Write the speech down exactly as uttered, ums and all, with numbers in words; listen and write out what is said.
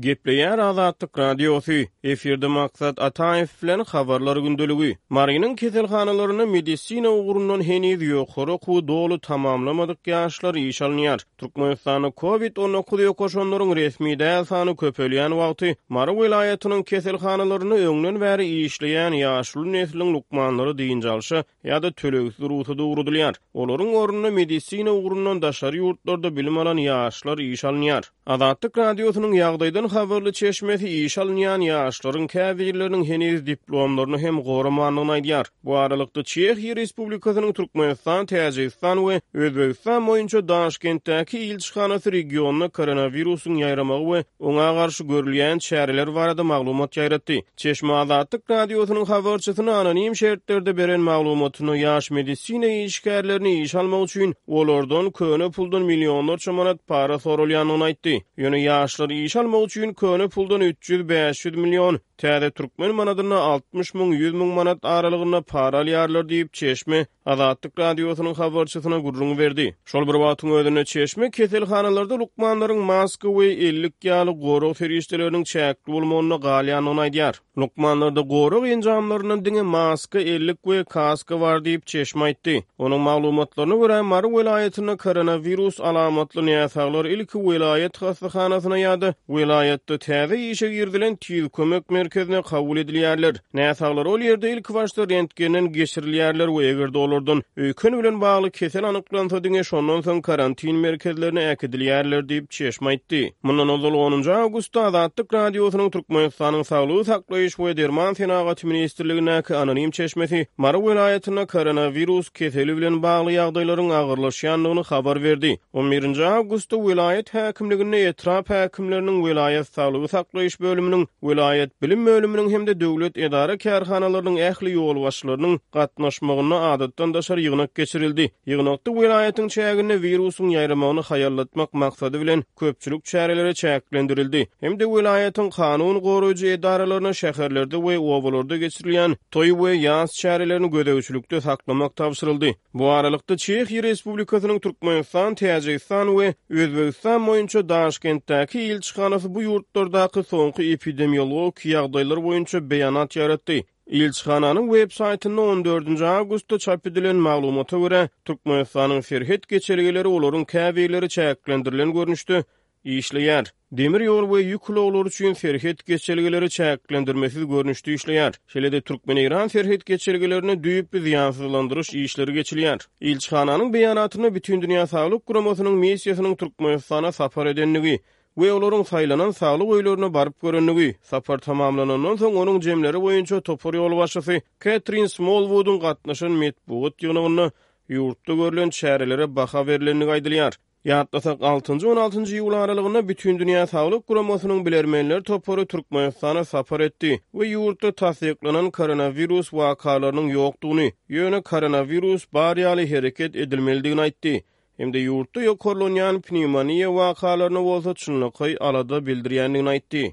Gepleýär Azatlyk Radiosy, efirde Maksat Ataýew bilen Habarlar gündeligi. Marynyň keselhanalarynda medisina ugrundan heniz ýokary okuwy doly tamamlamadyk ýaşlar işe alynýar. Türkmenistanda Covid on dokuz ýokaşanlaryň resmi däl sany köpelýän wagty Mary welaýatynyň keselhanalarynda öňden bäri işleýän ýaşuly nesliň lukmanlary dynç alşa ýa-da tölegsiz rugsada ugradylýar. Olaryň ornuna medisina ugrundan daşary ýurtlarda bilim alan ýaşlar işe alynýar. Azatlyk Radiosynyň ýagdaýdan habarly çeşmesi işe alynýan ýaşlaryň käbirleriniň heniz diplomlaryny hem goramandygyny aýdýar. Bu aralykda Çehiýa Respublikasynyň Türkmenistan, Täjigistan we Özbegistan boýunça Daşkentdäki ilçihanasy regionda koronawirusyň ýaýramagy we oňa garşy görülýän çäreler barada maglumat ýaýratdy. Çeşme Azatlyk Radiosynyň habarçysyna anonim şertlerde beren maglumatyny ýaş medisina işgärlerini işe almak üçin olardan köne puldan millionlarça manat para sorulýandygyny aýtdy. Ýöne ýaşlar işe almak üçin köne puldan üç ýüz bäş ýüz milyon, täze türkmen manadynda altmyş müň ýüz müň manat aralygynda para alýarlar diýip Çeşme Azatlyk Radiosynyň habarçysyna gürrüň berdi. Şol bir wagtyň özünde Çeşme keselhanalarda lukmanlaryň maska we ellik ýaly gorag serişdeleriniň çäkli bolmagyna galýandygyny aýdýar. Lukmanlarda gorag enjamlaryndan diňe maska, ellik we kaska bar diýip Çeşme aýtdy. Onuň maglumatlaryna görä Mary welaýatynda koronawirus alamatly näsaglar ilki welaýat hassahanasyna ýa-da welaýatda täze işe girizilen tiz kömek merkezine kabul edilýärler. Näsaglar ol ýerde ilki başda rentgenden geçirilýärler we eger olardan öýken bilen bagly kesel anyklansa diňe şondan soň karantin merkezlerine äkidilýärler diýip Çeşme aýtdy. Mundan ozal onunjy awgustda Azatlyk Radiosynyň Türkmenistanyň Saglygy saklaýyş we derman senagaty ministrligindäki anonim çeşmesi Mary welaýatynda koronawirus keseli bilen bagly ýagdaýlaryň agyrlaşýandygyny habar berdi. on birinji awgustda welaýat häkimliginde etrap häkimleriniň welaýat saglygy saklaýyş bölüminiň, welaýat bilim bölüminiň hem-de döwlet edara kärhanalarynyň ähli ýolbaşçylarynyň gatnaşmagynda adatdan daşary ýygnak geçirildi. Ýygnakda welaýatyň çäginde wirusyň ýaýramagyny haýallatmak maksady bilen köpçülik çäreleri çäklendirildi. Hem-de welaýatyň kanun goraýjy edaralaryna şäherlerde we obalarda geçirilýän toý we ýas çärelerini gözegçilikde saklamak tabşyryldy. Bu aralykda Çehiýa Respublikasynyň Türkmenistan, Täjigistan we Özbegistan boýunça Daşkentdäki ilçihanasy bu ýurtlardaky soňky epidemiologik ýagdaýlar boýunça beýanat ýaratdy. Ilçihananyň web saýtynda on dördünji awgustda çap edilen maglumata görä, Türkmenistanyň serhet geçelgeleri olaryň käbirleri çäklendirilen görnüşde işleýär. Demir ýol we ýük ulaglary üçin serhet geçelgeleri çäklendirmesiz görnüşde işleýär. Şeýle-de Türkmen-Eýran serhet geçelgelerine düýpli zyýansyzlandyryş işleri geçilýär. Ilçihananyň beýanatynda Bütindünýä Saglyk Guramasynyň missiýasynyň Türkmenistana sapar edendigi we olaryň saýlanan saglyk öýlerine baryp görendigi, sapar tamamlanandan soň onuň jemleri boýunça topar ýolbaşçysy Katrin Smallwoodyň gatnaşan metbugat ýygnagynda ýurtda görlen çärelere baha berilendigi aýdylýar. Ýatlasak, altynjy on altynjy iýul aralygynda Bütindünýä Saglyk Guramasynyň bilermenler topary Türkmenistana sapar etdi we ýurtda tassyklanan koronawirus wakalarynyň ýokdugyny, ýöne koronawirus bar ýaly hereket edilmelidigini aýtdy. Hem-de ýurtda ýokarlanýan pnewmoniýa wakalaryna bolsa çynlakaý alada bildirýändigini aýtdy.